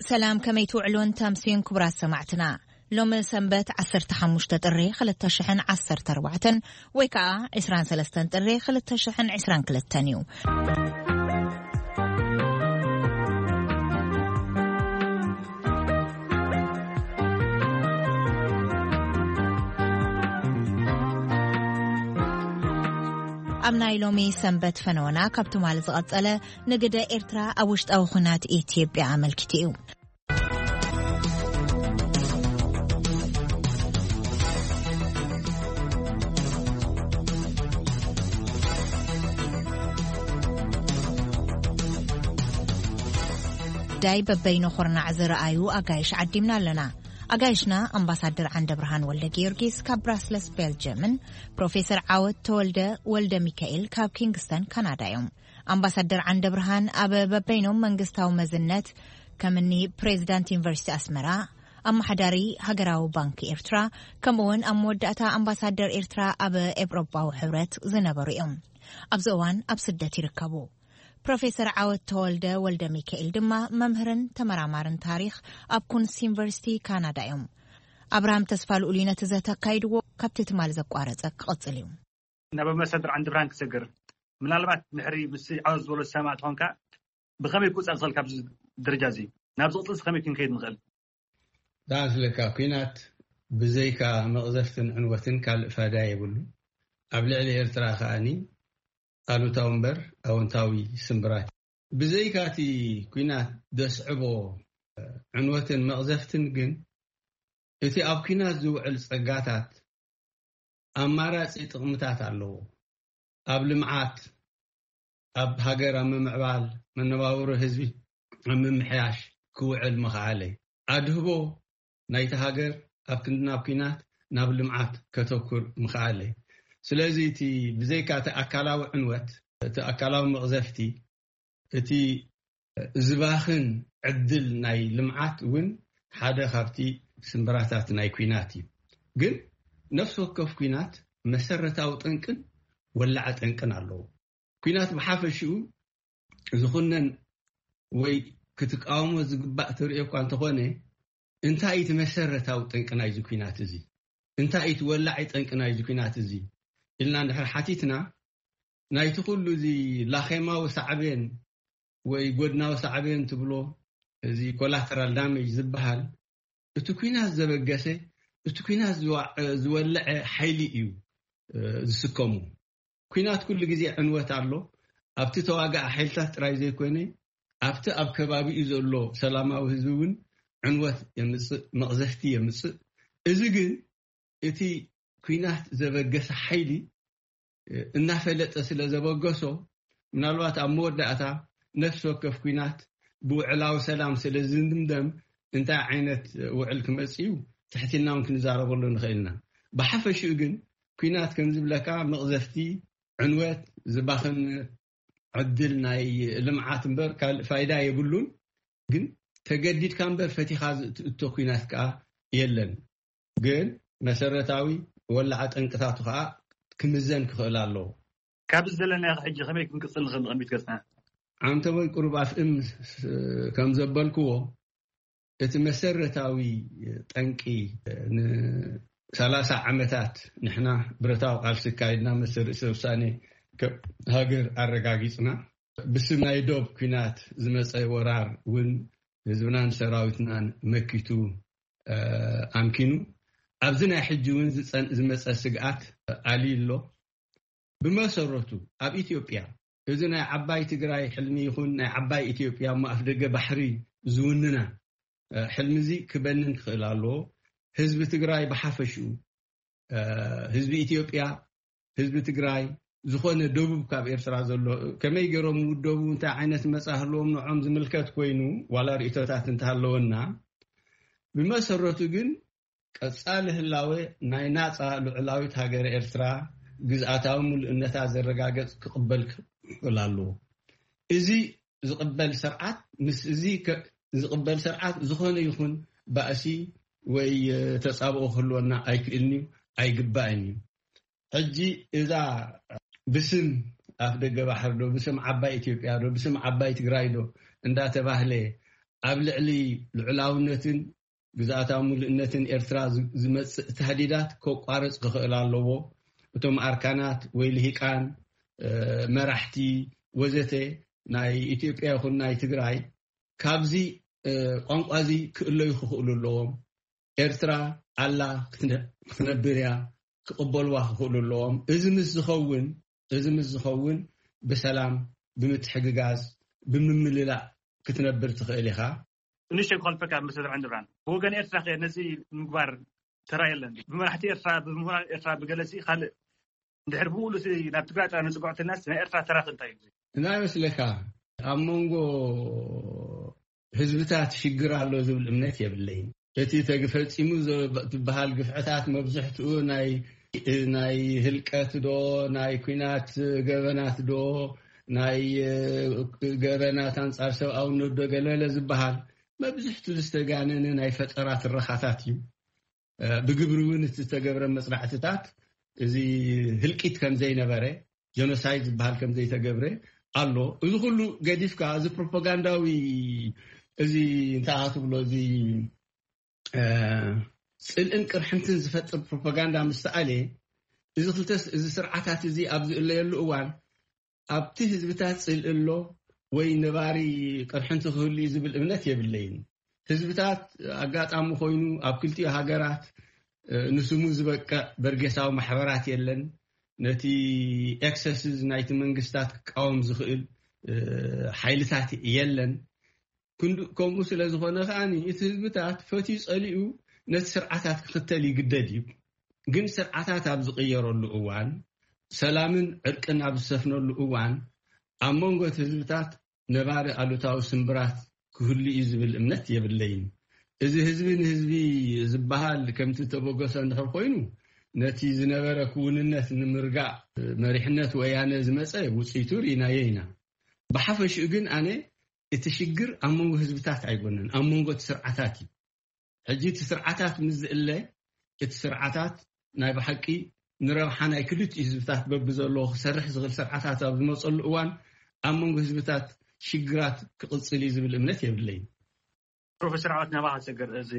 ሰላም፣ ከመይ ትውዕሉን ተምስዩን ክቡራት ሰማዕትና? ሎሚ ሰንበት ዓሰርተ ሓሙሽተ ጥሪ ክልተ ሽሕን ዓሰርተ ኣርባዕተን ወይ ከኣ ዕስራን ሰለስተን ጥሪ ክልተ ሽሕን ዕስራን ክልተን እዩ። ኣብ ናይ ሎሚ ሰንበት ፈነወና ካብ ትማሊ ዝቐጸለ ንግደ ኤርትራ ኣብ ውሽጣዊ ኹናት ኢትዮጵያ ኣመልኪቱ እዩ። ዳይ በበይኑ ኹርናዕ ዝረኣዩ ኣጋይሽ ዓዲምና ኣለና። ኣጋይሽና ኣምባሳደር ዓንደ ብርሃን ወልደ ጊዮርጊስ ካብ ብራስለስ ቤልጅየምን ፕሮፌሰር ዓወት ተወልደ ወልደ ሚካኤል ካብ ኪንግስተን ካናዳ እዮም። ኣምባሳደር ዓንደ ብርሃን ኣብ በበይኖም መንግስታዊ መዝነት ከምኒ ፕሬዚዳንት ዩኒቨርሲቲ ኣስመራ፣ ኣመሓዳሪ ሃገራዊ ባንክ ኤርትራ፣ ከምኡውን ኣብ መወዳእታ ኣምባሳደር ኤርትራ ኣብ ኤውሮጳዊ ሕብረት ዝነበሩ እዮም። ኣብዚ እዋን ኣብ ስደት ይርከቡ። ፕሮፌሰር ዓወት ተወልደ ወልደ ሚካኤል ድማ መምህርን ተመራማርን ታሪኽ ኣብ ኩንስ ዩኒቨርሲቲ ካናዳ እዮም። ኣብርሃም ተስፋ ልኡል እዩ ነቲ ዘተ ኣካይድዎ፣ ካብቲ ትማሊ ዘቋረጸ ክቐጽል እዩ። ናብ ኣምባሳደር ዓንዲ ብርሃን ክሰግር፣ ምናልባት ድሕሪ ምስ ዓወት ዝበሎ ዝሰማዕ ትኾንካ፣ ብኸመይ ክውጻእ ዝኽእል ካብዚ ደረጃ እዚ ናብዚ ቅጽልስ ከመይ ክንከይድ ንኽእል? ዳኣ ስለካ፣ ኲናት ብዘይካ መቕዘፍትን ዕንወትን ካልእ ፋይዳ የብሉ። ኣብ ልዕሊ ኤርትራ ከኣኒ ኣሉታዊ እምበር ኣወንታዊ ስምብራት። ብዘይካ እቲ ኲናት ደስዕቦ ዕንወትን መቕዘፍትን ግን፣ እቲ ኣብ ኲናት ዝውዕል ጸጋታት ኣማራጺ ጥቕምታት ኣለዎ። ኣብ ልምዓት፣ ኣብ ሃገር ኣብ ምምዕባል፣ መነባብሮ ህዝቢ ኣብ ምምሕያሽ ክውዕል ምኽኣለ። ኣድህቦ ናይቲ ሃገር ኣብ ክንዲ ናብ ኲናት፣ ናብ ልምዓት ከተኩር ምኽኣለ። ስለዚ እቲ ብዘይካ እቲ ኣካላዊ ዕንወት፣ እቲ ኣካላዊ መቕዘፍቲ፣ እቲ ዝባኽን ዕድል ናይ ልምዓት እውን ሓደ ካብቲ ስምብራታት ናይ ኲናት እዩ። ግን ነፍሲ ወከፍ ኲናት መሰረታዊ ጠንቅን ወላዐ ጠንቅን ኣለዎ። ኲናት ብሓፈሽኡ ዝኹነን ወይ ክትቃወሞ ዝግባእ ትርእዮ እኳ እንተኾነ፣ እንታይ እዩ እቲ መሰረታዊ ጠንቂ ናይዚ ኲናት እዚ? እንታይ እዩ እቲ ወላዒ ጠንቂ ናይዚ ኲናት እዚ? ኢልና እንድሕር ሓቲትና፣ ናይቲ ኩሉ እዚ ላኼማዊ ሳዕቤን ወይ ጎድናዊ ሳዕቤን ትብሎ፣ እዚ ኮላተራል ዳሜጅ ዝበሃል፣ እቲ ኲናት ዘበገሰ፣ እቲ ኲናት ዝዋ-፣ ዝወለዐ ሓይሊ እዩ፣ እ፣ ዝስከሙ። ኲናት ኩሉ ግዜ ዕንወት ኣሎ። ኣብቲ ተዋጋኢ ሓይልታት ጥራይ ዘይኮነ፣ ኣብቲ ኣብ ከባቢኡ ዘሎ ሰላማዊ ህዝቢ እውን ዕንወት የምጽእ፣ መቕዘፍቲ የምጽእ። እዚ ግን እቲ ኲናት ዘበገሰ ሓይሊ፣ እ፣ እናፈለጠ ስለ ዘበገሶ፣ ምናልባት ኣብ መወዳእታ ነፍሲ ወከፍ ኲናት ብውዕላዊ ሰላም ስለ ዝድምደም፣ እንታይ ዓይነት ውዕል ክመጽእ እዩ፣ ትሕት ኢልና እውን ክንዛረበሉ ንኽእል ኢና። ብሓፈሽኡ ግን ኲናት ከም ዝብለካ መቕዘፍቲ፣ ዕንወት፣ ዝባኽን ዕድል ናይ ልምዓት እምበር ካልእ ፋይዳ የብሉን። ግን ተገዲድካ እምበር ፈቲኻ ዝእትእቶ ኲናት ከኣ የለን። ግን መሰረታዊ ወላዓ ጠንቅታቱ ከኣ ክምዘን ክኽእል ኣለዎ። ካብዚ ዘለናዮ ሕጂ ከመይ ክንቅጽል ንኽእል ንቕድሚት ገጽና? ዓንተቦይ ቁሩብ ኣፍእም ስ-፣ ከም ዘበልክዎ፣ እቲ መሰረታዊ ጠንቂ ንሰላሳ ዓመታት ንሕና ብረታዊ ቃልሲ ኣካይድና፣ መሰል ርእሰ ውሳኔ ከም ሃገር ኣረጋጊጽና፣ ብስም ናይ ዶብ ኲናት ዝመጸ ወራር እውን ህዝብናን ሰራዊትናን መኪቱ፣ እ፣ ኣምኪኑ፣ ኣብዚ ናይ ሕጂ እውን ዝጸን-፣ ዝመጸ ስግኣት ኣልዩ ኣሎ። ብመሰረቱ ኣብ ኢትዮጵያ እዚ ናይ ዓባይ ትግራይ ሕልሚ ይኹን ናይ ዓባይ ኢትዮጵያ እሞ ኣፍደገ ባሕሪ ዝውንና፣ እ፣ ሕልሚ እዚ ክበንን ክኽእል ኣለዎ። ህዝቢ ትግራይ ብሓፈሽኡ፣ እ፣ ህዝቢ ኢትዮጵያ፣ ህዝቢ ትግራይ፣ ዝኾነ ደቡብ ካብ ኤርትራ ዘሎ ከመይ ገይሮም ይውደቡ፣ እንታይ ዓይነት መጻ ህልዎም ንዖም ዝምልከት ኮይኑ ዋላ ርእይቶታት እንተሃለወና፣ ብመሰረቱ ግን ቀጻሊ ህላወ ናይ ናጻ ልዑላዊት ሃገረ ኤርትራ ግዝኣታዊ ምሉእነታ ዘረጋገጽ ክቕበል ክኽእል ኣለዎ። እዚ ዝቕበል ስርዓት፣ ምስ እዚ ከ-፣ ዝቕበል ስርዓት ዝኾነ ይኹን ባእሲ ወይ፣ እ፣ ተጻብኦ ክህልወና ኣይክእልን እዩ፣ ኣይግባእን እዩ። ሕጂ እዛ ብስም ኣፍ ደገ ባሕሪ ዶ፣ ብስም ዓባይ ኢትዮጵያ ዶ፣ ብስም ዓባይ ትግራይ ዶ እንዳተባህለ ኣብ ልዕሊ ልዑላውነትን ግዝኣታዊ ምሉእነትን ኤርትራ ዝ- ዝመጽእ ተህዲዳት ከቋርጽ ክኽእል ኣለዎ። እቶም ኣርካናት ወይ ልሂቃን፣ እ፣ መራሕቲ ወዘተ ናይ ኢትዮጵያ ይኹን ናይ ትግራይ ካብዚ፣ እ፣ ቋንቋ እዚ ክእለዩ ክኽእሉ ኣለዎም። ኤርትራ ኣላ ክትነ- ክትነብር እያ ክቕበልዋ ክኽእሉ ኣለዎም። እዚ ምስ ዝኸውን፣ እዚ ምስ ዝኸውን ብሰላም፣ ብምትሕግጋዝ፣ ብምምልላእ ክትነብር ትኽእል ኢኻ። ንእሽተይ ክኸልፈካ፣ ኣምባሳደር ዓንደብርሃን፣ ብወገን ኤርትራ ከ ነዚ ምግባር ተራ የለን? ብመራሕቲ ኤርትራ፣ ብምሁራን ኤርትራ፣ ብገለሲ ካልእ፣ እንድሕር ብሙሉእ እቲ ናብ ትግራይ ጥራይ ንጽግዖ እንተልናስ፣ ናይ ኤርትራ ተራ ከ እንታይ እዩ? እንታይ ይመስለካ? ኣብ መንጎ ህዝብታት ሽግር ኣሎ ዝብል እምነት የብለይን። እቲ ተግ- ፈጺሙ ዘ- ትበሃል ግፍዕታት መብዝሕትኡ ናይ፣ ናይ ህልቀት ዶ፣ ናይ ኲናት ገበናት ዶ፣ ናይ፣ እ፣ ገበናት ኣንጻር ሰብኣውነት ዶ፣ ገለለ ዝበሃል መብዝሕትኡ ዝተጋነነ ናይ ፈጠራ ትረኻታት እዩ። እ፣ ብግብሪ እውን እቲ ዝተገብረ መጽናዕትታት እዚ ህልቂት ከም ዘይነበረ፣ ጀኖሳይድ ዝበሃል ከም ዘይተገብረ ኣሎ። እዚ ኩሉ ገዲፍካ፣ እዚ ፕሮፓጋንዳዊ፣ እዚ እንታይ ትብሎ፣ እዚ፣ እ፣ ጽልእን ቅርሕንትን ዝፈጥር ፕሮፓጋንዳ ምስ ተኣልየ፣ እዚ ክልተ፣ እዚ ስርዓታት እዚ ኣብ ዝእለየሉ እዋን፣ ኣብቲ ህዝብታት ጽልኢ ኣሎ ወይ ነባሪ ቅርሕንቲ ክህሉ እዩ ዝብል እምነት የብለይን። ህዝብታት፣ ኣጋጣሚ ኮይኑ፣ ኣብ ክልቲኡ ሃገራት፣ እ፣ ንስሙ ዝበቅዕ በርጌሳዊ ማሕበራት የለን። ነቲ ኤክሰስስ ናይቲ መንግስታት ክቃወም ዝኽእል፣ እ፣ ሓይልታት የለን። ክንዱ-፣ ከምኡ ስለ ዝኾነ ከኣ እቲ ህዝብታት ፈትዩ ጸሊኡ ነቲ ስርዓታት ክኽተል ይግደድ እዩ። ግን ስርዓታት ኣብ ዝቕየረሉ እዋን፣ ሰላምን ዕርቅን ኣብ ዝሰፍነሉ እዋን፣ ኣብ መንጎ እቲ ህዝብታት ነባሪ ኣሉታዊ ስምብራት ክህሉ እዩ ዝብል እምነት የብለይን። እዚ ህዝቢ ንህዝቢ ዝበሃል ከምቲ ተበገሰ እንድሕር ኮይኑ፣ ነቲ ዝነበረ ክውንነት ንምርጋእ መሪሕነት ወያነ ዝመጸ ውጽኢቱ ርኢናዮ ኢና። ብሓፈሽኡ ግን ኣነ እቲ ሽግር ኣብ መንጎ ህዝብታት ኣይኮነን፣ ኣብ መንጎ እቲ ስርዓታት እዩ። ሕጂ እቲ ስርዓታት ምስ ዝእለ፣ እቲ ስርዓታት ናይ ብሓቂ ንረብሓ ናይ ክልቲኡ ህዝብታት በብዘለዎ ክሰርሕ ዝኽእል ስርዓታት ኣብ ዝመጸሉ እዋን፣ ኣብ መንጎ ህዝብታት ሽግራት ክቕጽል እዩ ዝብል እምነት የብለይን። ፕሮፌሰር ዓወት፣ ናባኻ ሰገር፣ እዚ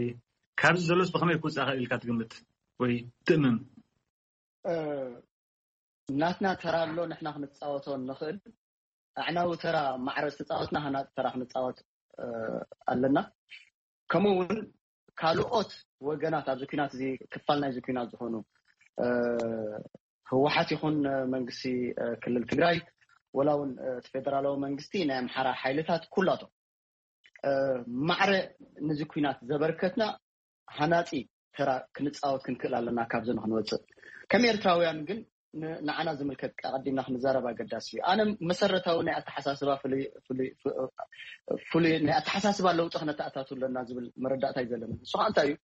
ካብዚ ዘሎስ ብኸመይ ክውጻእ ይኽእል ኢልካ ትግምት ወይ ትእምም? እ፣ ናትና ተራ ኣሎ፣ ንሕና ክንጻወቶ ንኽእል። ኣዕናዊ ተራ ማዕረ ዝተጻወትና ሃናጺ ተራ ክንጻወት፣ እ፣ ኣለና። ከምኡ እውን ካልኦት ወገናት ኣብዚ ኲናት እዚ፣ ክፋል ናይዚ ኲናት ዝኾኑ፣ እ፣ ህወሓት ይኹን መንግስቲ፣ እ፣ ክልል ትግራይ፣ ወላ እውን፣ እ፣ እቲ ፌደራላዊ መንግስቲ፣ ናይ ኣምሓራ ሓይልታት፣ ኩላቶም፣ እ፣ ማዕረ ነዚ ኲናት ዘበርከትና ሃናጺ ተራ ክንጻወት ክንክእል ኣለና፣ ካብዚ ንክንወጽእ። ከም ኤርትራውያን ግን ን-፣ ንዓና ዝምልከት ኣቐዲምና ክንዛረብ ኣገዳሲ እዩ። ኣነ መሰረታዊ ናይ ኣተሓሳስባ ፍሉይ፣ ፍሉይ፣ ፍ-፣ ፍሉይ ናይ ኣተሓሳስባ ለውጢ ክነተኣታቱ ኣለና ዝብል መረዳእታ እዩ ዘለኒ። ንሱ ከዓ እንታይ እዩ?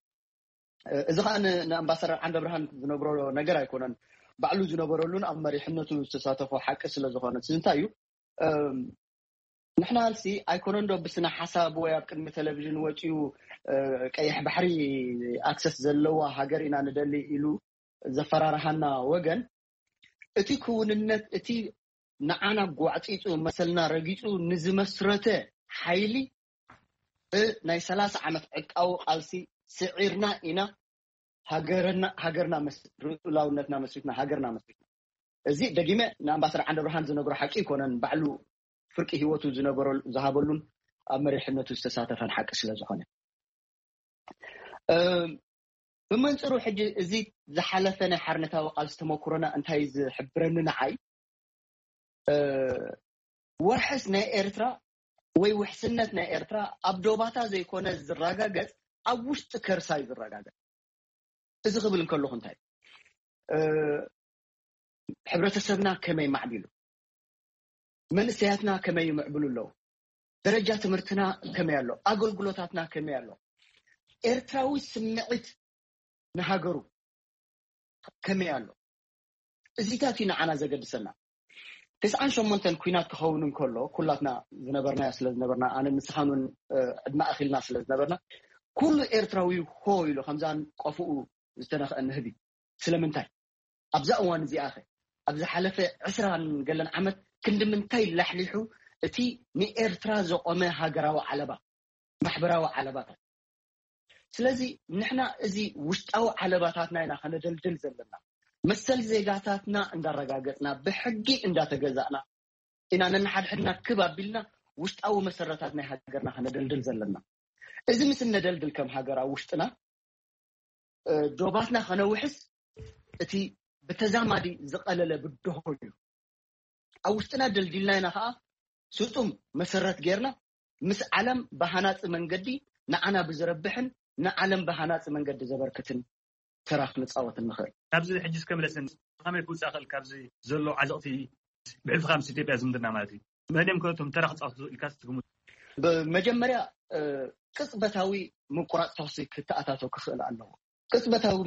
እ፣ እዚ ከዓ ን-፣ ንኣምባሳደር ዓንደብርሃን ዝነግሮ ነገር ኣይኮነን። ባዕሉ ዝነበረሉን ኣብ መሪሕነቱ ዝተሳተፎ ሓቂ ስለ ዝኾነ። እዚ እንታይ እዩ? እም፣ ንሕና ቃልሲ ኣይኮነን ዶ ብስነ ሓሳብ ወይ ኣብ ቅድሚ ቴሌቪዥን ወፂኡ፣ እ፣ ቀይሕ ባሕሪ ኣክሰስ ዘለዋ ሃገር ኢና ንደሊ ኢሉ ዘፈራርሃና ወገን፣ እቲ ክውንነት፣ እቲ ንዓና ጓዕፂፁ፣ መሰልና ረጊፁ ንዝመስረተ ሓይሊ፣ እ፣ ናይ ሰላሳ ዓመት ዕጥቃዊ ቃልሲ ስዒርና ኢና ሃገርና፣ ሃገርና መስ-፣ ልኡላውነትና መስሪትና፣ ሃገርና መስሪትና። እዚ ደጊመ ንኣምባሳደር ዓንደብርሃን ዝነግሮ ሓቂ ኣይኮነን። ባዕሉ ፍርቂ ህይወቱ ዝነበረሉ፣ ዝሃበሉን ኣብ መሪሕነቱ ዝተሳተፈን ሓቂ ስለ ዝኾነ። እ፣ ብመንጽሩ ሕጂ እዚ ዝሓለፈ ናይ ሓርነታዊ ቃልሲ ተመኩሮና እንታይ ዝሕብረኒ ንዓይ፣ እ፣ ወርሕስ ናይ ኤርትራ ወይ ውሕስነት ናይ ኤርትራ ኣብ ዶባታ ዘይኮነ ዝረጋገጽ፣ ኣብ ውሽጢ ከርሳ እዩ ዝረጋገጽ። እዚ ክብል እንከለኹ እንታይ፣ እ፣ ሕብረተሰብና ከመይ ማዕቢሉ፣ መንእሰያትና ከመይ ይምዕብሉ ኣለዉ፣ ደረጃ ትምህርትና ከመይ ኣሎ፣ ኣገልግሎታትና ከመይ ኣሎ፣ ኤርትራዊ ስምዒት ንሃገሩ ከመይ ኣሎ፣ እዚታት እዩ ንዓና ዘገድሰና። ተስዓን ሸሞንተን ኲናት ክኸውን እንከሎ፣ ኩላትና ዝነበርናዮ ስለ ዝነበርና፣ ኣነ ንስኻን እውን፣ እ፣ ዕድመ ኣኺልና ስለ ዝነበርና፣ ኩሉ ኤርትራዊ ሆ ኢሉ ከምዛን ቆፍኡ ዝተነኽአ ንህቢ። ስለምንታይ? ኣብዛ እዋን እዚኣ ኸ፣ ኣብ ዝሓለፈ ዕስራን ገለን ዓመት ክንዲ ምንታይ ላሕሊሑ እቲ ንኤርትራ ዘቆመ ሃገራዊ ዓለባ? ማሕበራዊ ዓለባታት። ስለዚ ንሕና እዚ ውሽጣዊ ዓለባታትና ኢና ከነደልድል ዘለና። መሰል ዜጋታትና እንዳረጋገጽና፣ ብሕጊ እንዳተገዛእና ኢና ነንሓድሕድና ክብ ኣቢልና ውሽጣዊ መሰረታት ናይ ሃገርና ከነደልድል ዘለና። እዚ ምስ እነደልድል ከም ሃገር ኣብ ውሽጥና ዶባትና ከነውሕስ እቲ ብተዛማዲ ዝቐለለ ብድሆ እዩ። ኣብ ውሽጥና ደልዲልና ኢና ከዓ ስጡም መሰረት ጌርና ምስ ዓለም ብሃናፂ መንገዲ ንዓና ብዝረብሕን ንዓለም ብሃናፂ መንገዲ ዘበርክትን ተራ ክንፃወት ንኽእል። ካብዚ ሕጂ እስከ ምለሰኒ፣ ከመይ ክውፃእ ክእል ካብዚ ዘሎ ዓዘቕቲ ብሕልፊ ምስ ኢትዮጵያ ዝምድና ማለት እዩ? መን እዮም ከቶም ተራ ክፃወቱ ኢልካ ትግምቱ? ብመጀመርያ ቅፅበታዊ ምቁራፅ ተኽሲ ክተኣታቶ ክኽእል ኣለዎ። ቅፅበታዊ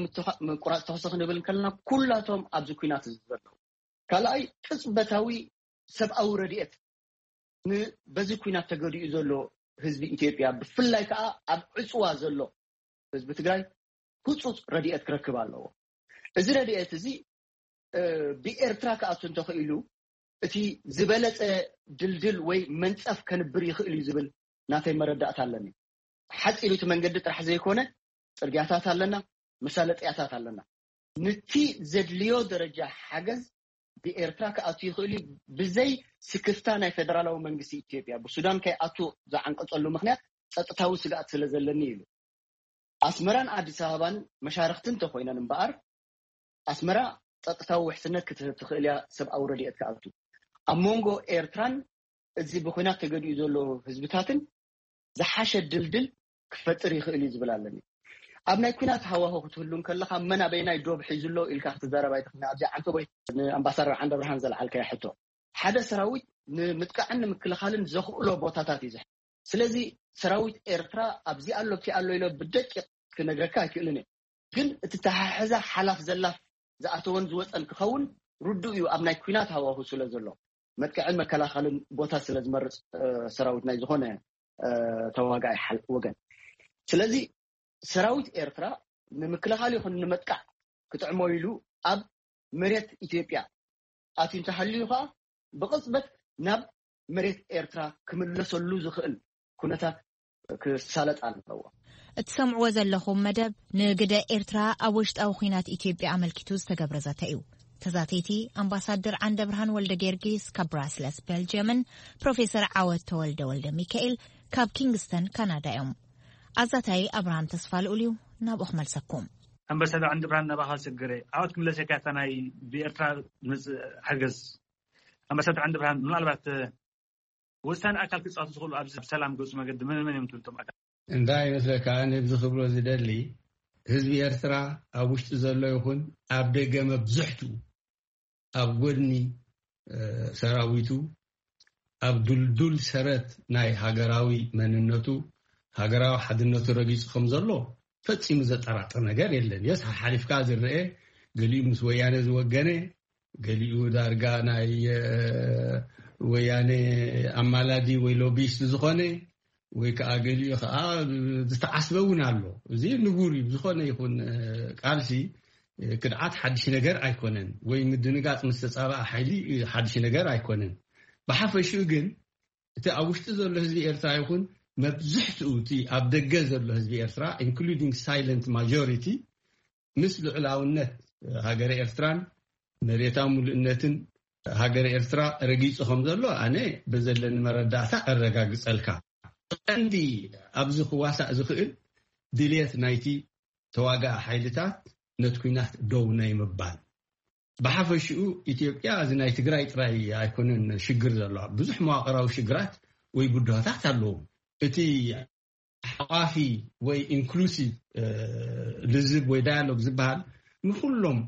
ምቁራፅ ተኽሲ ክንብል ከለና ኩላቶም ኣብዚ ኩናት ዘለዉ፣ ካልኣይ ቅፅበታዊ ሰብኣዊ ረድኤት ንበዚ ኩናት ተገዲኡ ዘሎ ህዝቢ ኢትዮጵያ፣ ብፍላይ ከዓ ኣብ ዕፅዋ ዘሎ ህዝቢ ትግራይ ህፁፅ ረድኤት ክረክብ ኣለዎ። እዚ ረድኤት እዚ ብኤርትራ ክኣቱ እንተኽኢሉ እቲ ዝበለፀ ድልድል ወይ መንፀፍ ከንብር ይኽእል እዩ ዝብል ናተይ መረዳእታ ኣለኒ። ሓፂሩ እቲ መንገዲ ጥራሕ ዘይኮነ ፅርግያታት ኣለና፣ መሳለጥያታት ኣለና። ንቲ ዘድልዮ ደረጃ ሓገዝ ብኤርትራ ክኣቱ ይኽእል እዩ። ብዘይ ስክፍታ ናይ ፌደራላዊ መንግስቲ ኢትዮጵያ ብሱዳን ከይኣቱ ዝዓንቀፀሉ ምክንያት ፀጥታዊ ስግኣት ስለ ዘለኒ ኢሉ። ኣስመራን ኣዲስ ኣበባን መሻርክቲ እንተኮይነን እምበኣር ኣስመራ ፀጥታዊ ውሕስነት ክትህብ ትኽእል እያ፣ ሰብኣዊ ረድኤት ክኣቱ። ኣብ መንጎ ኤርትራን እዚ ብኩናት ተገዲኡ ዘሎ ህዝብታትን ዝሓሸ ድልድል ክፈጥር ይኽእል እዩ ዝብል ኣለኒ። ኣብ ናይ ኩናት ሃዋሁ ክትህሉ እንከለኻ መን ኣበይናይ ዶብ ሒዙ ኣሎ ኢልካ ክትዛረብ ኣይትኽእልን። ኣብዚ ዓንተ ወይ ንኣምባሳደር ዓንደ ብርሃን ዘልዓልካዮ ሕቶ፣ ሓደ ሰራዊት ንምጥቃዕን ንምክልኻልን ዘኽእሎ ቦታታት እዩ ዝሕ ስለዚ ሰራዊት ኤርትራ ኣብዚ ኣሎ ኣብቲ ኣሎ ኢሎ ብደቂቕ ክነግረካ ኣይክእልን እየ። ግን እቲ ተሓሕዛ ሓላፍ ዘላፍ ዝኣተወን ዝወፀን ክኸውን ርዱእ እዩ፣ ኣብ ናይ ኩናት ሃዋሁ ስለ ዘሎ መጥቅዕን መከላኸልን ቦታ ስለ ዝመርፅ ሰራዊት ናይ ዝኾነ ተዋጋኢ ወገን። ስለዚ ሰራዊት ኤርትራ ንምክልኻል ይኹን ንምጥቃዕ ክጥዕሞ ኢሉ ኣብ መሬት ኢትዮጵያ ኣትዩ እንተሃልዩ ከዓ ብቕፅበት ናብ መሬት ኤርትራ ክምለሰሉ ዝኽእል ኩነታት ክሳለጥ ኣለዎ። እትሰምዕዎ ዘለኹም መደብ ንግደ ኤርትራ ኣብ ውሽጣዊ ኲናት ኢትዮጵያ ኣመልኪቱ ዝተገብረ ዘተ እዩ። ተዛተይቲ ኣምባሳደር ዓንደ ብርሃን ወልደ ጊዮርጊስ ካብ ብራስለስ ቤልጅየምን ፕሮፌሰር ዓወት ተወልደ ወልደ ሚካኤል ካብ ኪንግስተን ካናዳ እዮም። ኣዛታይ ኣብርሃም ተስፋ ልኡል እዩ። ናብኡ ክመልሰኩም። ኣምባሳደር ዓንደ ብርሃን ናባኻ ዝሰግረ ዓወት ክምለሰካ እታ ናይ ብኤርትራ ዝመጽእ ሓገዝ። ኣምባሳደር ዓንደ ብርሃን ምናልባት ወሳኒ ኣካል ክጻወቱ ዝኽእሉ ኣብዚ ሰላም ገጹ መገዲ መን መን እዮም ትብልቶም ኣካል? እንታይ ይመስለካ? ኣነ ብዚ ክብሎ ዝደሊ ህዝቢ ኤርትራ ኣብ ውሽጢ ዘሎ ይኹን ኣብ ደገ መብዝሕቱ ኣብ ጎድኒ ሰራዊቱ ኣብ ድልዱል ሰረት ናይ ሃገራዊ መንነቱ ሃገራዊ ሓድነቱ ረጊጹ ከም ዘሎ ፈጺሙ ዘጠራጥር ነገር የለን። የስ ሓሊፍካ ዝረአ ገሊኡ ምስ ወያነ ዝወገነ ገሊኡ ዳርጋ ናይ ወያነ ኣማላዲ ወይ ሎቢስት ዝኾነ ወይ ከዓ ገሊኡ ከዓ ዝተዓስበ እውን ኣሎ። እዚ ንቡር እዩ። ዝኾነ ይኹን ቃልሲ ክድዓት ሓድሽ ነገር ኣይኮነን፣ ወይ ምድንጋፅ ምስ ተፃበኣ ሓይሊ ሓድሽ ነገር ኣይኮነን። ብሓፈሽኡ ግን እቲ ኣብ ውሽጢ ዘሎ ህዝቢ ኤርትራ ይኹን መብዝሕትኡ እቲ ኣብ ደገ ዘሎ ህዝቢ ኤርትራ including silent majority ምስ ልዑላውነት ሃገረ ኤርትራን መሬታዊ ምሉእነትን ሃገረ ኤርትራ ረጊጹ ከም ዘሎ ኣነ ብዘለኒ መረዳእታ ኣረጋግጸልካ። ቀንዲ ኣብዚ ክዋሳእ ዝኽእል ድልየት ናይቲ ተዋጋኢ ሓይልታት ነቲ ኲናት ደው ናይ ምባል። ብሓፈሽኡ ኢትዮጵያ እዚ ናይ ትግራይ ጥራይ ኣይኮነን ሽግር ዘለዋ፣ ብዙሕ መዋቕራዊ ሽግራት ወይ ብድሆታት ኣለዉ። እቲ ሓቋፊ ወይ ኢንክሉሲቭ ልዝብ ወይ ዳያሎግ ዝበሃል ንኩሎም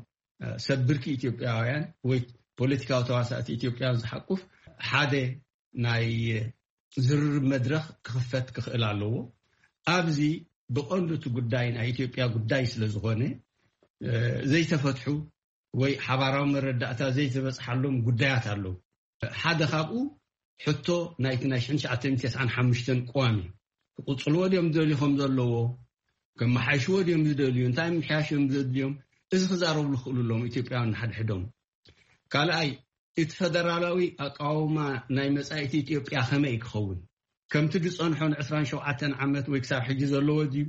ሰብ ብርኪ ኢትዮጵያውያን ወይ ፖለቲካዊ ተዋሳእቲ ኢትዮጵያውያን ዝሓቁፍ ሓደ ናይ ዝርርብ መድረኽ ክኽፈት ክኽእል ኣለዎ። ኣብዚ ብቐንዱ እቲ ጉዳይ ናይ ኢትዮጵያ ጉዳይ ስለ ዝኾነ ዘይተፈትሑ ወይ ሓባራዊ መረዳእታ ዘይተበፅሓሎም ጉዳያት ኣለዉ። ሓደ ካብኡ ሕቶ ናይቲ ናይ ሽሕን ትሽዓተ ሚእትን ተስዓን ሓሙሽተን ቅዋም እዩ። ክቕፅልዎ ድዮም ዝደልዩ ከም ዘለዎ፣ ከመሓይሽዎ ድዮም ዝደልዩ፣ እንታይ ምምሕያሽ እዮም ዘድልዮም፣ እዚ ክዛረብሉ ክኽእሉ ኣለዎም ኢትዮጵያውያን ንሓድሕዶም። ካልኣይ እቲ ፈደራላዊ ኣቃውማ ናይ መጻኢት ኢትዮጵያ ከመይ ክኸውን? ከምቲ ዝጸንሖ ን ዕስራን ሸውዓተን ዓመት ወይ ክሳብ ሕጂ ዘለዎ ድዩ፣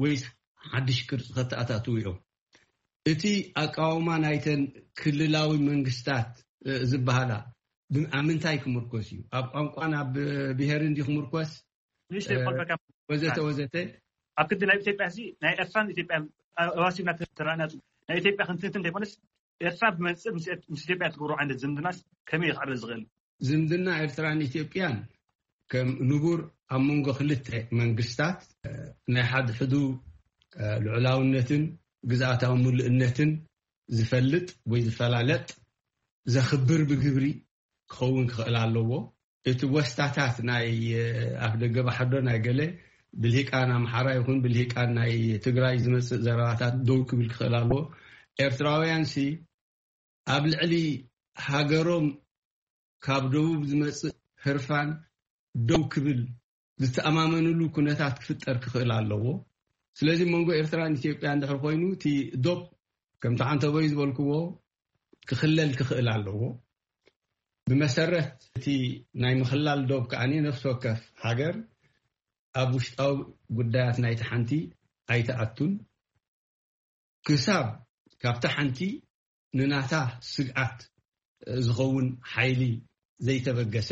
ወይስ ሓድሽ ቅርጺ ከተኣታትዉ እዮም? እቲ ኣቃውማ ናይተን ክልላዊ መንግስታት ዝበሃላ ኣብ ምንታይ ክምርኮስ እዩ? ኣብ ቋንቋን ኣብ ብሄርን ድዩ ክምርኮስ? ንእሽተይ ቆልፈካ ወዘተ ወዘተ። ኣብ ክንዲ ናይ ኢትዮጵያ ሲ ናይ ኤርትራን ኢትዮጵያን ኣዋሲብና ተረኣና። ናይ ኢትዮጵያ ክንትንትን ዘይኮነስ ኤርትራ ብመንፅር ምስ ኢትዮጵያ ትገብሮ ዓይነት ዝምድናስ ከመይ ይኽዕበ ዝኽእል? ዝምድና ኤርትራን ኢትዮጵያን ከም ንቡር ኣብ መንጎ ክልተ መንግስታት ናይ ሓድሕዱ ልዑላውነትን ግዝኣታዊ ምሉእነትን ዝፈልጥ ወይ ዝፈላለጥ ዘኽብር ብግብሪ ክኸውን ክኽእል ኣለዎ። እቲ ወስታታት ናይ ኣፍ ደገ ባሕዶ ናይ ገለ ብልሂቃን ኣምሓራ ይኹን ብልሂቃን ናይ ትግራይ ዝመፅእ ዘረባታት ደው ክብል ክኽእል ኣለዎ። ኤርትራውያን ሲ ኣብ ልዕሊ ሃገሮም ካብ ደቡብ ዝመፅእ ህርፋን ደው ክብል ዝተኣማመንሉ ኩነታት ክፍጠር ክኽእል ኣለዎ። ስለዚ መንጎ ኤርትራን ኢትዮጵያ እንድሕር ኮይኑ እቲ ዶብ ከምቲ ዓንተቦይ ዝበልክዎ ክኽለል ክኽእል ኣለዎ። ብመሰረት እቲ ናይ ምኽላል ዶብ ከኣ ነፍሲ ወከፍ ሃገር ኣብ ውሽጣዊ ጉዳያት ናይቲ ሓንቲ ኣይተኣቱን ክሳብ ካብታ ሓንቲ ንናታ ስግኣት ዝኸውን ሓይሊ ዘይተበገሰ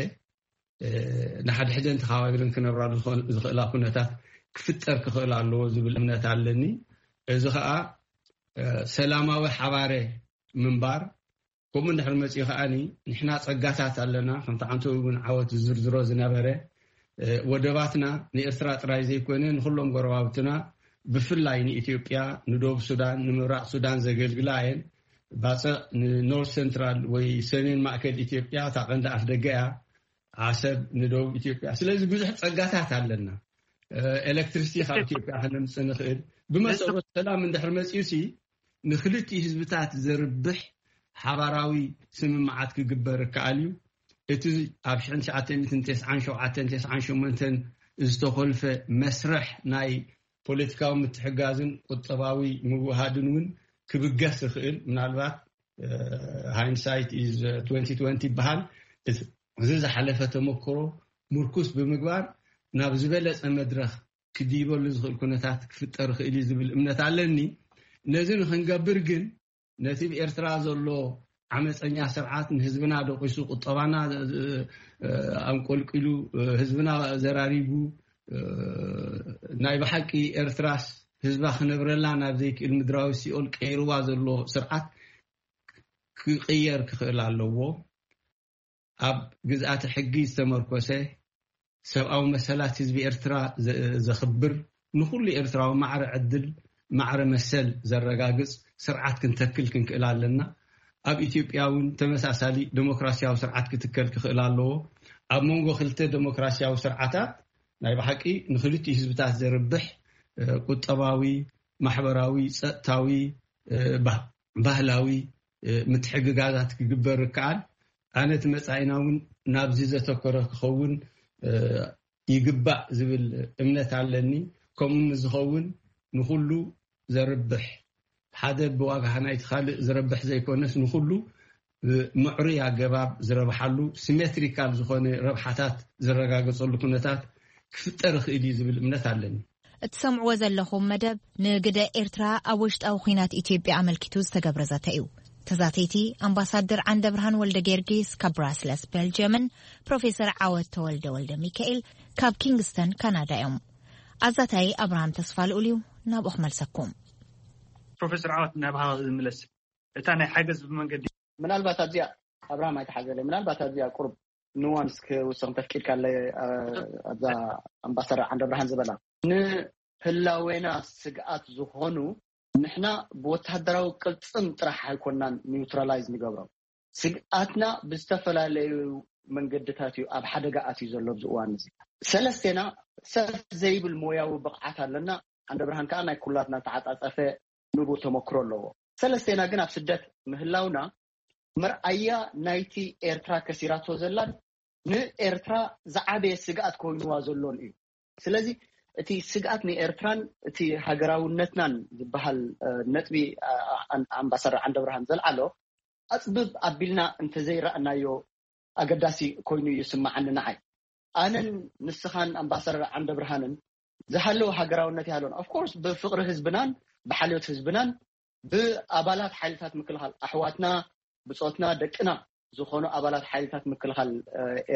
ንሓድሕደን ተኸባቢረን ክነብራሉ ዝኽእላ ኩነታት ክፍጠር ክኽእል ኣለዎ ዝብል እምነት ኣለኒ። እዚ ከዓ ሰላማዊ ሓባረ ምንባር ከምኡ እንድሕር መፂኡ ከዓኒ ንሕና ፀጋታት ኣለና። ከምቲ ዓንተዊ እውን ዓወት ዝዝርዝሮ ዝነበረ ወደባትና ንኤርትራ ጥራይ ዘይኮነ ንኩሎም ጎረባብትና ብፍላይ ንኢትዮጵያ ንደቡብ ሱዳን ንምብራቕ ሱዳን ዘገልግላ እየን። ባፅዕ ንኖርት ሰንትራል ወይ ሰሜን ማእከል ኢትዮጵያ እታ ቀንዲ ኣፍ ደገ እያ። ዓሰብ ንደቡብ ኢትዮጵያ። ስለዚ ብዙሕ ፀጋታት ኣለና። ኤሌክትሪሲቲ ካብ ኢትዮጵያ ከነምፅእ ንኽእል። ብመሰረት ሰላም እንድሕር መፂኡ ሲ ንክልቲኡ ህዝብታት ዘርብሕ ሓባራዊ ስምምዓት ክግበር ይከኣል እዩ። እቲ ኣብ ሽሕን ትሽዓተ ሚእትን ተስዓን ሸውዓተን ተስዓን ሸሞንተን ዝተኾልፈ መስርሕ ናይ ፖለቲካዊ ምትሕጋዝን ቁጠባዊ ምውሃድን እውን ክብገስ ይኽእል። ምናልባት hindsight is twenty twenty ይበሃል። እዚ ዝሓለፈ ተመክሮ ምርኩስ ብምግባር ናብ ዝበለፀ መድረኽ ክድይበሉ ዝኽእል ኩነታት ክፍጠር ይኽእል እዩ ዝብል እምነት ኣለኒ። ነዚ ንክንገብር ግን ነቲ ብኤርትራ ዘሎ ዓመፀኛ ስርዓት ንህዝብና ደቂሱ፣ ቁጠባና ኣንቆልቂሉ፣ ህዝብና ዘራሪጉ፣ ናይ ብሓቂ ኤርትራስ ህዝባ ክነብረላ ናብ ዘይክእል ምድራዊ ሲኦል ቀይርዋ ዘሎ ስርዓት ክቕየር ክኽእል ኣለዎ። ኣብ ግዝኣተ ሕጊ ዝተመርኮሰ ሰብኣዊ መሰላት ህዝቢ ኤርትራ ዘኽብር፣ ንኹሉ ኤርትራዊ ማዕረ ዕድል ማዕረ መሰል ዘረጋግጽ ስርዓት ክንተክል ክንክእል ኣለና። ኣብ ኢትዮጵያ እውን ተመሳሳሊ ደሞክራሲያዊ ስርዓት ክትከል ክኽእል ኣለዎ። ኣብ መንጎ ክልተ ደሞክራሲያዊ ስርዓታት ናይ ብሓቂ ንክልቲኡ ህዝብታት ዘርብሕ ቁጠባዊ፣ ማሕበራዊ፣ ጸጥታዊ፣ ባህላዊ ምትሕግጋዛት ክግበር ይከኣል። ኣነ እቲ መጻኢና እውን ናብዚ ዘተኮረ ክኸውን ይግባእ ዝብል እምነት ኣለኒ። ከምኡ ንዝኸውን ንኹሉ ዘርብሕ፣ ሓደ ብዋጋ ናይቲ ካልእ ዝረብሕ ዘይኮነስ ንኹሉ ብምዕሩይ ኣገባብ ዝረብሓሉ ሲሜትሪካል ዝኾነ ረብሓታት ዝረጋገጸሉ ኩነታት ክፍጠር ይኽእል እዩ ዝብል እምነት ኣለኒ። እትሰምዕዎ ዘለኹም መደብ ንግደ ኤርትራ ኣብ ውሽጣዊ ኲናት ኢትዮጵያ ኣመልኪቱ ዝተገብረ ዘተ እዩ። ተዛተይቲ ኣምባሳደር ዓንደብርሃን ወልደ ጊዮርጊስ ካብ ብራስለስ ቤልጅየምን ፕሮፌሰር ዓወት ተወልደ ወልደ ሚካኤል ካብ ኪንግስተን ካናዳ እዮም። ኣዛታይ ኣብርሃም ተስፋ ልኡል እዩ። ናብኡ ክመልሰኩም። ፕሮፌሰር ዓወት ናባኻ ዝምለስ እታ ናይ ሓገዝ ብመንገዲ ምናልባት ኣብዚኣ ኣብርሃም ኣይተሓዘለ ምናልባት ኣብዚኣ ቁሩብ ኑዋንስ ክውስኽ እንተፍቂድካለይ ኣብዛ ኣምባሳደር ዓንደብርሃን ዝበላ ንህላዌና ስግኣት ዝኾኑ ንሕና ብወታደራዊ ቅልፅም ጥራሕ ኣይኮናን ኒውትራላይዝ ንገብሮም። ስግኣትና ብዝተፈላለዩ መንገድታት እዩ ኣብ ሓደጋ ኣትዩ ዘሎ ኣብዚ እዋን እዚ። ሰለስቴና ሰፍ ዘይብል ሞያዊ ብቕዓት ኣለና። ዓንደብርሃን ከዓ ናይ ኩላትና ተዓፃፀፈ ንቡር ተመክሮ ኣለዎ። ሰለስቴና ግን ኣብ ስደት ምህላውና መርኣያ ናይቲ ኤርትራ ከሲራቶ ዘላን ንኤርትራ ዝዓበየ ስግኣት ኮይንዋ ዘሎን እዩ። ስለዚ እቲ ስግኣት ንኤርትራን እቲ ሃገራውነትናን ዝበሃል ነጥቢ ኣምባሳደር ዓንደብርሃን ዘልዓሎ ኣፅብብ ኣቢልና እንተዘይረኣናዮ ኣገዳሲ ኮይኑ እዩ ይስምዓኒ ንዓይ። ኣነን ንስኻን ኣምባሳደር ዓንደ ብርሃንን ዝሃለወ ሃገራውነት ይሃለወን። Of course ብፍቕሪ ህዝብናን ብሓልዮት ህዝብናን ብኣባላት ሓይልታት ምክልኻል ኣሕዋትና ብጾትና ደቅና ዝኾኑ ኣባላት ሓይልታት ምክልኻል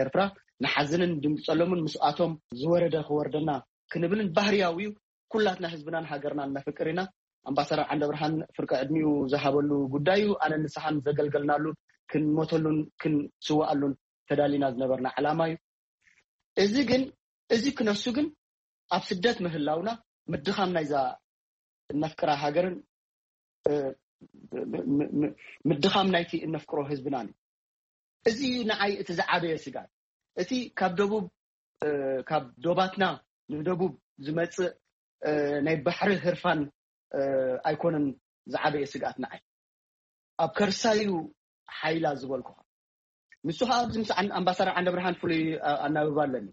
ኤርትራ ንሓዝንን ድንግጸሎምን ምስኣቶም ዝወረደ ክወርደና ክንብልን ባህርያዊ እዩ። ኩላትና ህዝብናን ሃገርናን ነፍቅር ኢና። ኣምባሳደር ዓንደ ብርሃን ፍርቂ ዕድሚኡ ዝሃበሉ ጉዳይ እዩ። ኣነ ንስኻን ዘገልገልናሉ ክንሞተሉን ክንስዋኣሉን ተዳሊና ዝነበርና ዕላማ እዩ። እዚ ግን እዚ ክነሱ ግን ኣብ ስደት ምህላውና ምድኻም ናይዛ እነፍቅራ ሃገርን ምድኻም ናይቲ እነፍቅሮ ህዝብናን እዩ። እዚ እዩ ንዓይ እቲ ዝዓበየ ስጋት። እቲ ካብ ደቡብ ካብ ዶባትና ንደቡብ ዝመፅእ ናይ ባሕሪ ህርፋን ኣይኮነን ዝዓበየ ስግኣት ንዓይ። ኣብ ከርሳዩ ሓይላ ዝበልኩኻ ንሱ ከዓ ኣብዚ ምስ ኣምባሳደር ዓንደ ብርሃን ፍሉይ ኣናብባ ኣለኒ።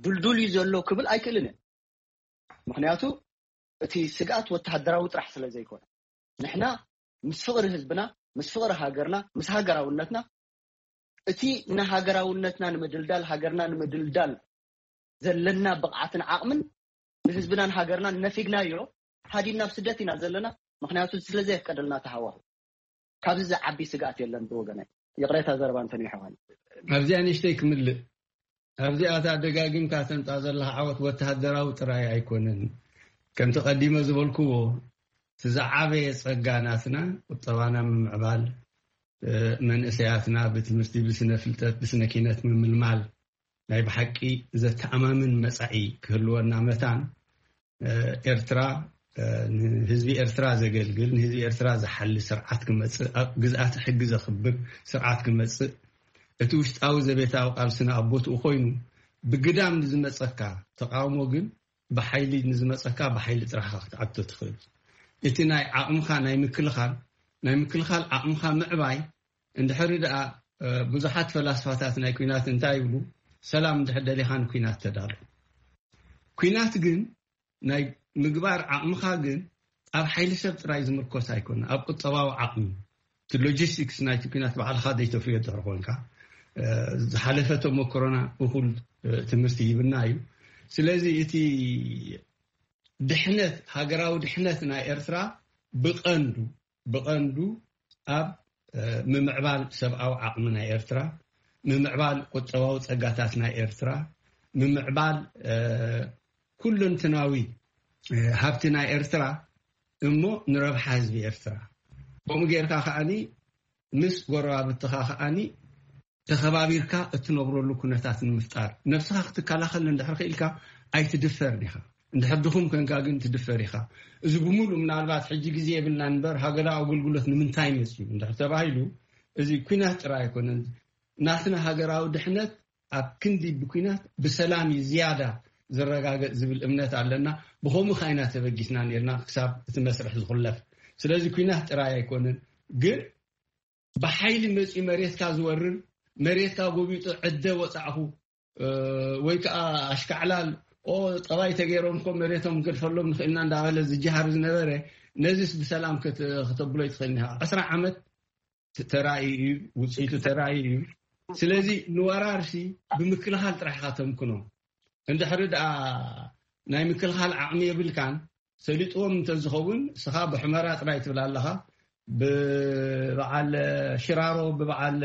ዱልዱል እዩ ዘሎ ክብል ኣይክእልን እየ። ምክንያቱ እቲ ስግኣት ወተሃደራዊ ጥራሕ ስለ ዘይኮነ ንሕና ምስ ፍቕሪ ህዝብና ምስ ፍቕሪ ሃገርና ምስ ሃገራውነትና እቲ ንሃገራውነትና ንምድልዳል ሃገርና ንምድልዳል ዘለና ብቕዓትን ዓቕምን ንህዝብናን ሃገርናን ነፊግናዮ ሃዲምና ኣብ ስደት ኢና ዘለና። ምክንያቱ ስለዘየፍቀደልና ተሃዋሁ ካብዚ ዝዓቢ ስግኣት የለን ብወገናይ። ይቕሬታ ዘረባ እንተኒሕዋን ኣብዚኣ ንእሽተይ ክምልእ ኣብዚኣ እታ ደጋጊምካ ተምፃ ዘለካ ዓወት ወተሃደራዊ ጥራይ ኣይኮነን። ከምቲ ቀዲመ ዝበልክዎ እቲ ዝዓበየ ፀጋ ናትና ቁጠባና ምምዕባል፣ መንእሰያትና ብትምህርቲ፣ ብስነ ፍልጠት፣ ብስነ ኪነት ምምልማል ናይ ብሓቂ ዘተኣማምን መፃኢ ክህልወና መታን ኤርትራ ንህዝቢ ኤርትራ ዘገልግል ንህዝቢ ኤርትራ ዝሓሊ ስርዓት ክመፅእ ኣብ ግዝኣተ ሕጊ ዘኽብር ስርዓት ክመፅእ እቲ ውሽጣዊ ዘቤታዊ ቃልስና ኣብ ቦትኡ ኮይኑ ብግዳም ንዝመፀካ ተቃውሞ ግን ብሓይሊ ንዝመፀካ ብሓይሊ ጥራሕካ ክትዓግቶ ትኽእል። እቲ ናይ ዓቕምኻ ናይ ምክልኻል ናይ ምክልኻል ዓቕምኻ ምዕባይ እንድሕሪ ደኣ ብዙሓት ፈላስፋታት ናይ ኲናት እንታይ ይብሉ? ሰላም እንድሕር ደሊኻ ንኲናት ተዳሎ። ኲናት ግን ናይ ምግባር ዓቕምኻ ግን ኣብ ሓይሊ ሰብ ጥራይ ዝምርኮስ ኣይኮነ ኣብ ቁጠባዊ ዓቕሚ እቲ ሎጂስቲክስ ናይቲ ኲናት ባዕልኻ ዘይተፍርዮ ድሕሪ ኮንካ ዝሓለፈ ተመክሮና እኹል ትምህርቲ ሂብና እዩ። ስለዚ እቲ ድሕነት ሃገራዊ ድሕነት ናይ ኤርትራ ብቐንዱ ብቐንዱ ኣብ ምምዕባል ሰብኣዊ ዓቕሚ ናይ ኤርትራ፣ ምምዕባል ቁጠባዊ ጸጋታት ናይ ኤርትራ፣ ምምዕባል ኩለንትናዊ ሃብቲ ናይ ኤርትራ እሞ ንረብሓ ህዝቢ ኤርትራ ከምኡ ጌርካ ከዓኒ ምስ ጎረባብትኻ ከዓኒ ተኸባቢርካ እትነብረሉ ኩነታት ንምፍጣር ነብስኻ ክትከላኸል እንድሕር ክኢልካ ኣይትድፈርን ኢኻ። እንድሕር ድኹም ኮንካ ግን ትድፈር ኢኻ። እዚ ብምሉእ ምናልባት ሕጂ ግዜ የብልና እምበር ሃገራዊ ኣገልግሎት ንምንታይ መፅዩ እንድሕር ተባሂሉ እዚ ኲናት ጥራይ ኣይኮነን። ናትና ሃገራዊ ድሕነት ኣብ ክንዲ ብኲናት ብሰላም እዩ ዝያዳ ዝረጋገፅ ዝብል እምነት ኣለና። ብኸምኡ ካ ኢና ተበጊስና ነርና ክሳብ እቲ መስርሕ ዝኹለፍ። ስለዚ ኲናት ጥራይ ኣይኮነን ግን ብሓይሊ መፂኡ መሬትካ ዝወርር መሬትካ ጎቢጡ ዕደ ወፃዕኹ ወይ ከዓ ኣሽካዕላል ኦ ጠባይ ተገይሮም እኮ መሬቶም ክንገድፈሎም ንኽእልና እንዳበለ ዝጀሃር ዝነበረ ነዚስ ብሰላም ከተብሎ ይትኽእል ኒኻ። ዕስራ ዓመት ተራእዩ እዩ፣ ውፅኢቱ ተራእዩ እዩ። ስለዚ ንወራርሲ ብምክልኻል ጥራሕ ኢኻ ተምክኖ። እንድሕሪ ደኣ ናይ ምክልኻል ዓቕሚ የብልካን ሰሊጥዎም እንተዝኸውን እስኻ ብሑመራ ጥራይ ትብል ኣለኻ። ብበዓል ሽራሮ ብበዓል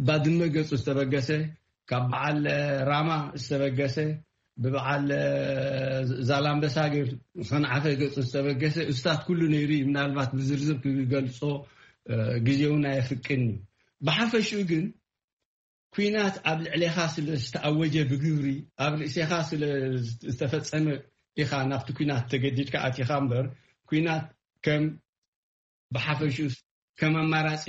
ባድመ ገፁ ዝተበገሰ ካብ በዓል ራማ ዝተበገሰ ብበዓል ዛላምበሳ ገይሩ ሰንዓፈ ገፁ ዝተበገሰ እስታት ኩሉ ነይሩ እዩ። ምናልባት ብዝርዝር ክገልፆ ግዜ እውን ኣየፍቅን እዩ። ብሓፈሽኡ ግን ኲናት ኣብ ልዕሌኻ ስለ ዝተኣወጀ ብግብሪ ኣብ ርእሴኻ ስለ ዝተፈጸመ ኢኻ ናብቲ ኲናት ተገዲድካ ኣቲኻ እምበር ኲናት ከም ብሓፈሽኡስ ከም ኣማራጺ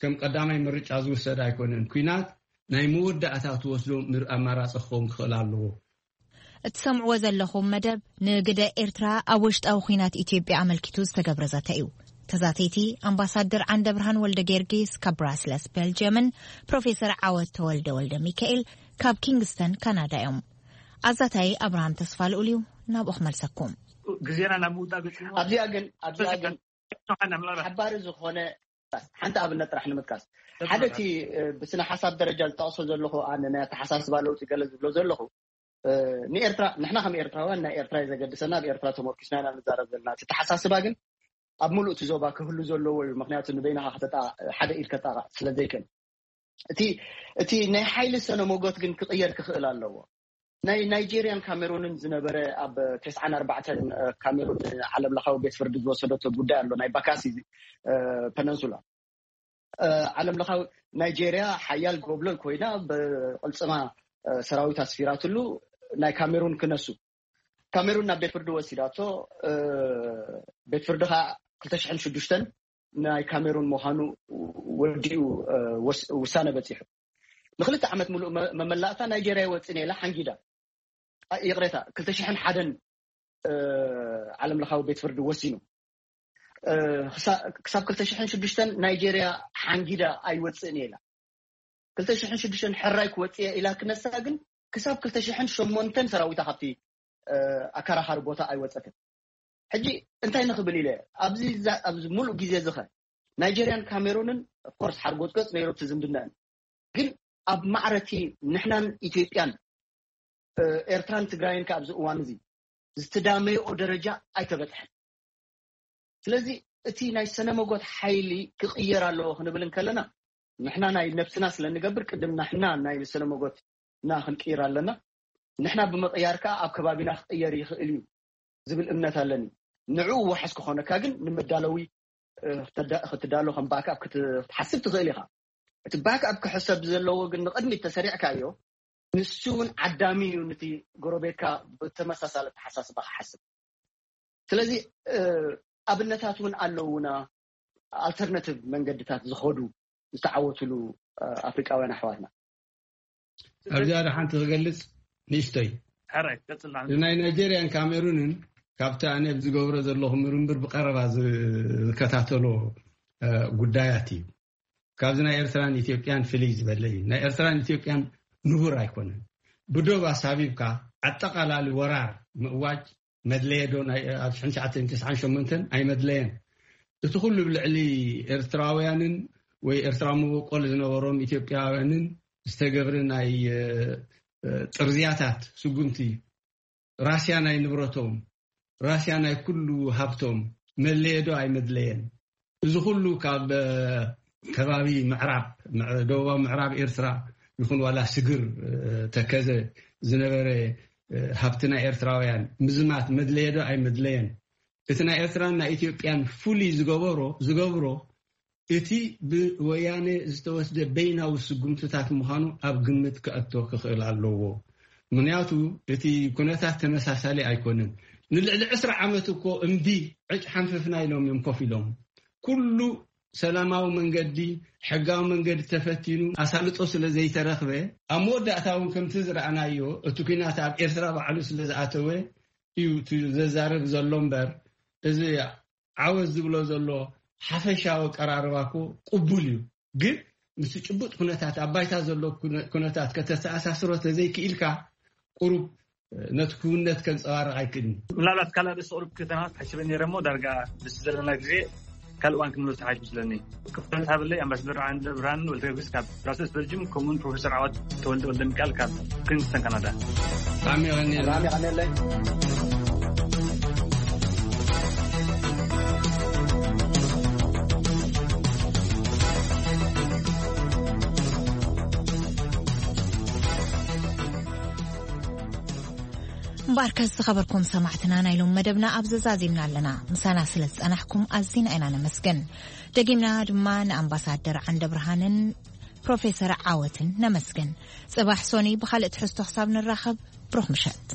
ከም ቀዳማይ ምርጫ ዝውሰድ ኣይኮነን። ኲናት ናይ መወዳእታ ትወስዶ ምር ኣማራጺ ክኸውን ክኽእል ኣለዎ። እትሰምዕዎ ዘለኹም መደብ ንግደ ኤርትራ ኣብ ውሽጣዊ ኲናት ኢትዮጵያ ኣመልኪቱ ዝተገብረ ዘተ እዩ። ተዛተይቲ ኣምባሳደር ዓንደ ብርሃን ወልደ ጊዮርጊስ ካብ ብራስለስ ቤልጅየምን ፕሮፌሰር ዓወት ተወልደ ወልደ ሚካኤል ካብ ኪንግስተን ካናዳ እዮም። ኣዛታይ ኣብርሃም ተስፋ ልኡል እዩ። ናብኡ ክመልሰኩም። ግዜና ናብ ምውጣ ገጽ ኣብዚኣ ግን ኣብዚኣ ግን ሓባሪ ዝኾነ ሓንቲ ኣብነት ጥራሕ ንምጥቃስ፣ ሓደ እቲ ብስነ ሓሳብ ደረጃ ዝጠቕሶ ዘለኹ፣ ኣነ ናይ ኣተሓሳስባ ለውጢ ገለ ዝብሎ ዘለኹ፣ ንኤርትራ፣ ንሕና ከም ኤርትራውያን ናይ ኤርትራ እዩ ዘገድሰና፣ ኣብ ኤርትራ ተመርኪስና ኢና ንዛረብ ዘለና። እቲ ኣተሓሳስባ ግን ኣብ ሙሉእ እቲ ዞባ ክህሉ ዘለዎ እዩ። ምክንያቱ ንበይንኻ ሓደ ኢድ ከጣቕዕ ስለ ዘይክእል፣ እቲ ናይ ሓይሊ ሰነ መጎት ግን ክቕየር ክኽእል ኣለዎ። ናይ ናይጄርያን ካሜሩንን ዝነበረ፣ ኣብ ተስዓን ኣርባዕተን ካሜሩን ዓለም ለኻዊ ቤት ፍርዲ ዝወሰደቶ ጉዳይ ኣሎ፣ ናይ ባካሲ ፐነንሱላ። ዓለም ለኻዊ፣ ናይጄርያ ሓያል ጎብለል ኮይና ብቕልፅማ ሰራዊት ኣስፊራትሉ፣ ናይ ካሜሩን ክነሱ፣ ካሜሩን ናብ ቤት ፍርዲ ወሲዳቶ። ቤት ፍርዲ ከዓ ክልተ ሽሕን ሽዱሽተን ናይ ካሜሩን ምዃኑ ወዲኡ ውሳነ በፂሑ። ንክልተ ዓመት ሙሉእ መመላእታ ናይጄርያ ይወፅእ ኢላ ሓንጊዳ፣ ይቕሬታ፣ ክልተ ሽሕን ሓደን ዓለም ለኻዊ ቤት ፍርዲ ወሲኑ። ክሳብ ክልተ ሽሕን ሽዱሽተን ናይጄርያ ሓንጊዳ ኣይወፅእን እየ ኢላ። ክልተ ሽሕን ሽዱሽተን ሕራይ ክወፅእ እየ ኢላ ክነሳ ግን ክሳብ ክልተ ሽሕን ሸሞንተን ሰራዊታ ካብቲ ኣከራኻሪ ቦታ ኣይወፀትን። ሕጂ እንታይ ንኽብል ኢለ ኣብዚ ሙሉእ ግዜ ዝኸ ናይጀርያን ካሜሩንን ኮርስ ሓርጎፅጎፅ ነይሩ እቲ ዝምድናን፣ ግን ኣብ ማዕረቲ ንሕናን ኢትዮጵያን ኤርትራን ትግራይን ከ ኣብዚ እዋን እዚ ዝተዳመየኦ ደረጃ ኣይተበፅሐን። ስለዚ እቲ ናይ ሰነመጎት ሓይሊ ክቕየር ኣለዎ ክንብል እንከለና፣ ንሕና ናይ ነብስና ስለ ንገብር ቅድም ንሕና ናይ ሰነመጎትና ክንቅይር ኣለና። ንሕና ብምቕያር ከኣ ኣብ ከባቢና ክቕየር ይኽእል እዩ ዝብል እምነት ኣለኒ። ንዕኡ ዋሕስ ክኾነካ ግን ንመዳለዊ ክትዳሎ ከም ባክኣፕ ክትሓስብ ትኽእል ኢኻ። እቲ ባክኣፕ ክሕሰብ ዘለዎ ግን ንቕድሚት ተሰሪዕካዮ፣ ንሱ እውን ዓዳሚ እዩ ነቲ ጎረቤትካ ብተመሳሳሊ ኣተሓሳስባ ክሓስብ። ስለዚ ኣብነታት እውን ኣለውና፣ ኣልተርናቲቭ መንገድታት ዝኸዱ ዝተዓወትሉ ኣፍሪቃውያን ኣሕዋትና። ኣብዚኣ ሓንቲ ክገልጽ ንእሽተይ፣ ናይ ናይጄርያን ካሜሩንን ካብቲ ኣነ ዝገብሮ ዘለኹ ምርምር ብቀረባ ዝከታተሎ ጉዳያት እዩ። ካብዚ ናይ ኤርትራን ኢትዮጵያን ፍልይ ዝበለ እዩ። ናይ ኤርትራን ኢትዮጵያን ንቡር ኣይኮነን። ብዶብ ኣሳቢብካ ኣጠቓላሊ ወራር ምእዋጅ መድለየ ዶ? ኣብ ሽሕን ትሽዓተ ሚእትን ተስዓን ሸሞንተን ኣይመድለየን። እቲ ኩሉ ብልዕሊ ኤርትራውያንን ወይ ኤርትራዊ መበቆል ዝነበሮም ኢትዮጵያውያንን ዝተገብረ ናይ ጥርዝያታት ስጉምቲ፣ ራስያ ናይ ንብረቶም፣ ራስያ ናይ ኩሉ ሃብቶም መድለየ ዶ ኣይመድለየን? እዚ ኩሉ ካብ ከባቢ ምዕራብ፣ ደቡባዊ ምዕራብ ኤርትራ ይኹን ዋላ ስግር፣ ተከዘ ዝነበረ ሃብቲ ናይ ኤርትራውያን ምዝማት መድለየ ዶ ኣይመድለየን? እቲ ናይ ኤርትራን ናይ ኢትዮጵያን ፍሉይ ዝገበሮ ዝገብሮ እቲ ብወያነ ዝተወስደ በይናዊ ስጉምትታት ምዃኑ ኣብ ግምት ከእቶ ክኽእል ኣለዎ። ምኽንያቱ እቲ ኩነታት ተመሳሳሊ ኣይኮነን። ንልዕሊ ዕስራ ዓመት እኮ እምቢ ዕጭ ሓንፍፍና ኢሎም እዮም ኮፍ ኢሎም። ኩሉ ሰላማዊ መንገዲ፣ ሕጋዊ መንገዲ ተፈቲኑ ኣሳልጦ ስለ ዘይተረኽበ፣ ኣብ መወዳእታ እውን ከምቲ ዝረኣናዮ እቲ ኲናት ኣብ ኤርትራ ባዕሉ ስለ ዝኣተወ እዩ እቲ ዘዛርብ ዘሎ እምበር፣ እዚ ዓወት ዝብሎ ዘሎ ሓፈሻዊ ኣቀራርባ እኮ ቅቡል እዩ። ግን ምስ ጭቡጥ ኩነታት ኣብ ባይታ ዘሎ ኩነታት ከተተኣሳስሮ ተዘይክኢልካ ቁሩብ ነቲ ክውነት ከንጸባርቕ ኣይክእልን። ምናልባት ካልእ ርእሰ ቁሩብ ክተናወት ሓሲበ ነይረ እሞ ዳርጋ ምስ ዘለና ግዜ ካልእ እዋን ክንምለስ ሓይሽ ምስለኒ። ክፍተት ሃበለይ ኣምባሳደር ዓንደ ብርሃን ወልደ ጊዮርጊስ ካብ ብራሰልስ በልጅም፣ ከምኡውን ፕሮፌሰር ዓወት ተወልደ ወልደ ሚካኤል ካብ ኪንግስተን ካናዳ። ብጣዕሚ የቐንየልና። ብጣዕሚ የቐንየለይ። እምበኣርከስ ዝኸበርኩም ሰማዕትና፣ ናይ ሎም መደብና ኣብ ዘዛዚምና ኣለና። ምሳና ስለ ዝጸናሕኩም ኣዚና ኢና ነመስግን። ደጊምና ድማ ንኣምባሳደር ዓንደ ብርሃንን ፕሮፌሰር ዓወትን ነመስግን። ጽባሕ ሶኒ ብኻልእ ትሕዝቶ ክሳብ ንራኸብ፣ ብሩኽ ምሸት።